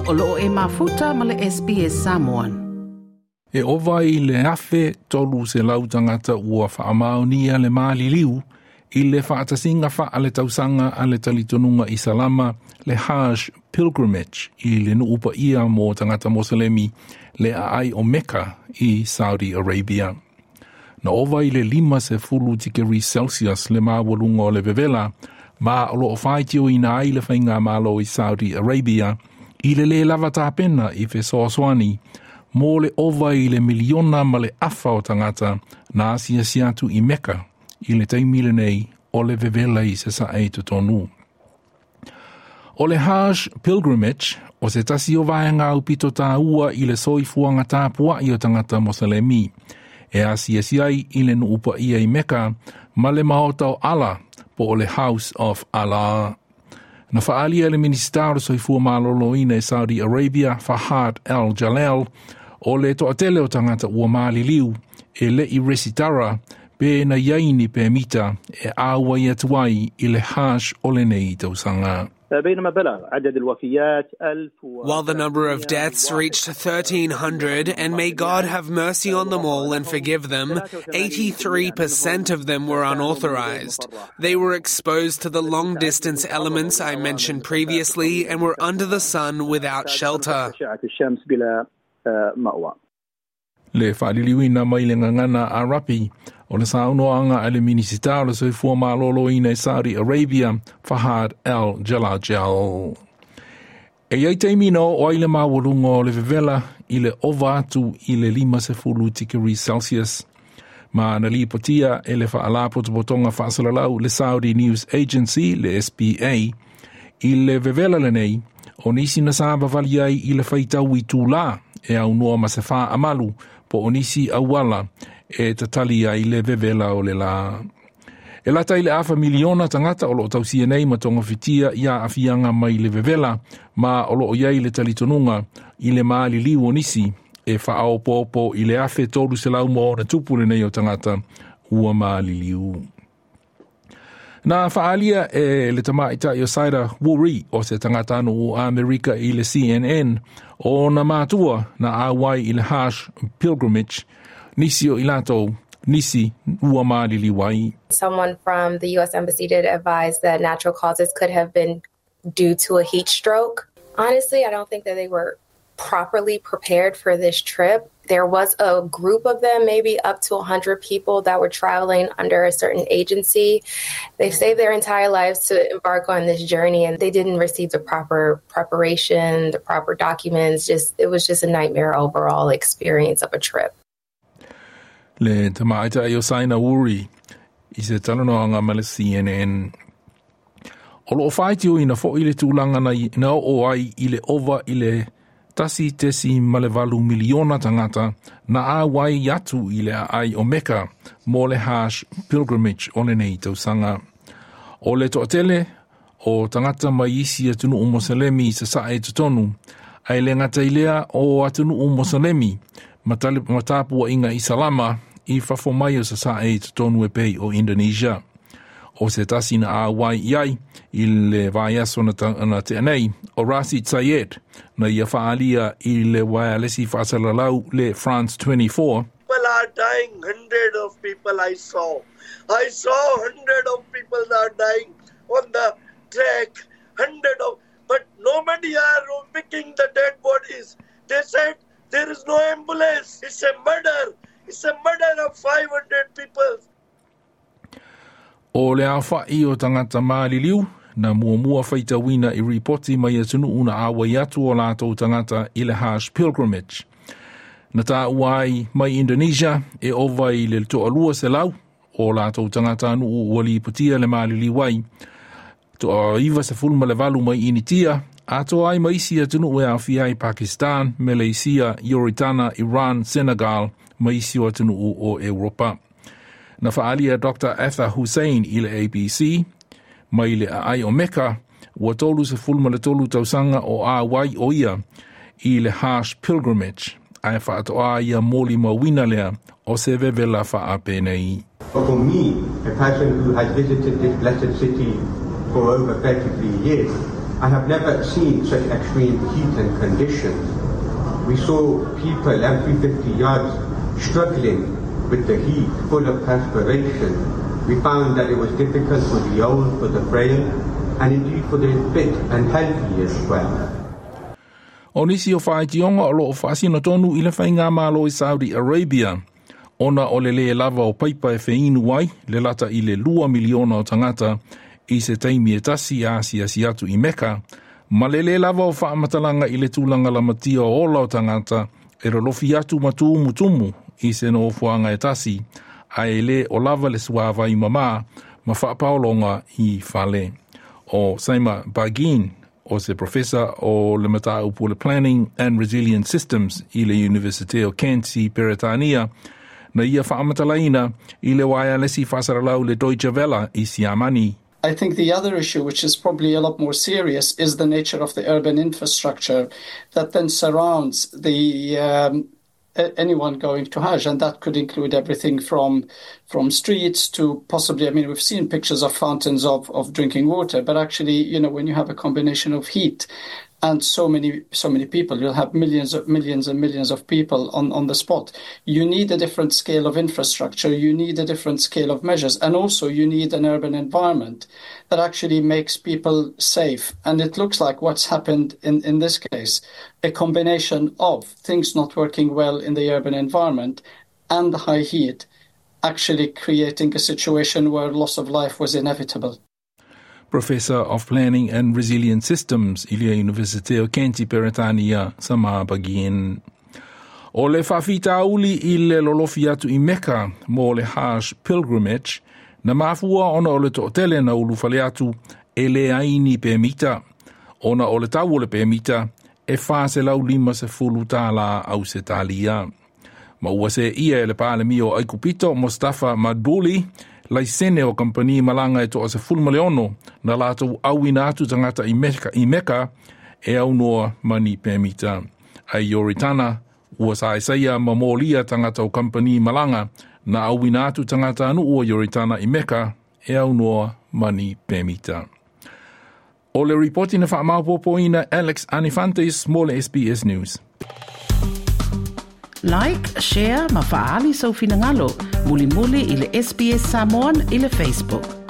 O loo e mafuta ma le SBS Samoan. E ova i le 1,300 tagata ua faamaonia le maliliu i le faatasiga faaletausaga a le talitonuga Isalama le Hajj Pilgrimage i le nuu paia mo tagata Moselemi le aai o Mecca i Saudi Arabia. Na ova i le 50 tikeri Celsius le maualuga o le vevela ma o loo faitioina ai le faigamalo i Saudi Arabia i le lē lava tapena i fesoasoani mo le ova i le miliona ma le afa o tagata na asiasi atu i Mecca i le taimi lenei o le vevela i sasae i totonu. O le Hajj Pilgrimage o se tasi o vaega aupito tāua i le soifuaga tapua'i o tagata Moselemi e asiasi ai i le nuu paia i Mecca ma le maota o Allah po o le House of Allah. Na faaalia e le Minisita o le Soifua Maloloina i Saudi Arabia Fahad Al Jalal o le toatele o tagata ua maliliu e le'i resitara pe na i ai ni pemita e auai atu ai i le Hajj o lenei tausaga. While the number of deaths reached 1,300, and may God have mercy on them all and forgive them, 83% of them were unauthorized. They were exposed to the long distance elements I mentioned previously and were under the sun without shelter. Le faaliliuina mai le gagana Arapi o le saunoaga a le Minisita o le Soifua Maloloina i Saudi Arabia Fahad Al Jalajel. E iai taimi na oo ai le maualuga o le vevela i le ova atu i le 50 tikeri Celsius. Ma na lipotia e le faalapotopotoga faasalalau le Saudi News Agency le SPA i le vevela lenei o nisi na savavali ai i le faitau itulā e aunoa ma se faamalu po o nisi auala e tatali ai le vevela o le lā. E lata i le afa miliona tagata o loo tausia nei ma togafitia i aafiaga mai le vevela ma o loo i ai le talitonuga i le maliliu o nisi e faaopoopo i le 1,300 ma ona tupu lenei o tagata ua maliliu. Na faaalia e le tamaitai o Saida Wuri o se tagatanuu o Amerika i le CNN o ona matua na auai i le Hajj Pilgrimage nisi o i latou nisi ua maliliu ai. Someone from the U.S. Embassy did advise that natural causes could have been due to a heat stroke. Honestly, I don't think that they were properly prepared for this trip. There was a group of them, maybe up to 100 people that were traveling under a certain agency. They've saved their entire lives to embark on this journey and they didn't receive the proper preparation, the proper documents. Just it was just a nightmare overall experience of a trip. Le tamaitai o Saina Wuri i se talanoaga ma le CNN. O loo faitioina foi le tulaga na oo ai i le ova i le 1.8 miliona tagata na auai atu i le aai o Mecca mo le Hajj Pilgrimage o lenei tausaga. O le toatele o tagata mai isi atunuu Moselemi i sasae totonu, ae le gata i lea o atunuu Moselemi ma tapuaiga Isalama i fafo mai o sasae i totonu e pei o Indonesia. O se tasi na auai i ai i le vaiaso na tea nei o Rasid Sayed na ia faaalia i le uaealesi faasalalau le France 24. People are dying, hundred of people I saw. I saw hundred of people are dying on the track, hundred of, but nobody are picking the dead bodies. They said there is no ambulance. It's a murder. It's a murder of 500 people. O le aofa'i o tagata maliliu na muamua faitauina i ripoti mai atunuu na auai atu o latou tagata i le Hajj Pilgrimage. Na taua ai mai Indonesia e ova i le 200 o latou tagatanuu ua lipotia le maliliu ai. 98 mai Initia, atoa ai ma isi atunuu e aofia ai Pakistan, Malaysia, Ioritana, Iran, Senegal, ma isi o atunuu o Europa. Na faaalia Dr. Atha Hussein i le ABC, mai le aai o Mecca, ua 33 tausaga o auai o ia i le Hajj Pilgrimage, ae faatoa ia molimauina lea o se vevela faapenei. But for me, a person who has visited this blessed city for over 33 years, I have never seen such extreme heat and conditions. We saw people every 50 yards struggling with the heat, full of perspiration. We found that it was difficult for the old, for the frail, and indeed for the fit and healthy as well. O nisi o faaitioga o loo faasino tonu i le faigamalo i Saudi Arabia, ona o le lē lava o paipa e feinu ai le lata i le 2 miliona o tagata i se taimi e tasi a asiasi atu i Meka, ma le lē lava o faamatalaga i le tulaga lamatia o ola o tagata e lolofi atu ma tumutumu i se nofoaga e tasi, ae lē o lava le suāvai mamā ma faapaologa i fale. O Saima Bagin o se professor o le mataupu le Planning and Resilient Systems i le University o Kent i Peretania, na ia faamatalaina i le waialesi faasalalau le Deutsche Welle i Siamani. I think the other issue, which is probably a lot more serious, is the nature of the urban infrastructure that then surrounds the anyone going to Hajj, and that could include everything from streets to possibly. I mean, we've seen pictures of fountains of drinking water, but actually, when you have a combination of heat and so many people, you'll have millions of millions and millions of people on the spot. You need a different scale of infrastructure. You need a different scale of measures, and also you need an urban environment that actually makes people safe. And it looks like what's happened in this case, a combination of things not working well in the urban environment and the high heat actually creating a situation where loss of life was inevitable. Professor of Planning and Resilient Systems i le University o Kent i Peretania, Samar Bagin. O le faafitauli i le lolofi atu i Mecca mo le Hajj Pilgrimage, na mafua ona o le toatele na ulufale atu e leai ni pemita. Ona o le tau o le pemita e $450 Ausetalia. Ma ua seia e le Palemia o Aikupito Mostafa Madbouly laisene o kampani malaga e 16 na latou auina atu tagata i Meka e aunoa ma ni pemita. Ai Ioritana, ua saesaia ma molia tagata o kampani malaga na auina atu tagata anu ua Ioritana i Meka e aunoa ma ni pemita. O le ripoti na faamaopoopoina Alex Anifantes mo le SBS News. Like, share ma faali sau finagalo. Mulimuli i le SBS Samoan i le Facebook.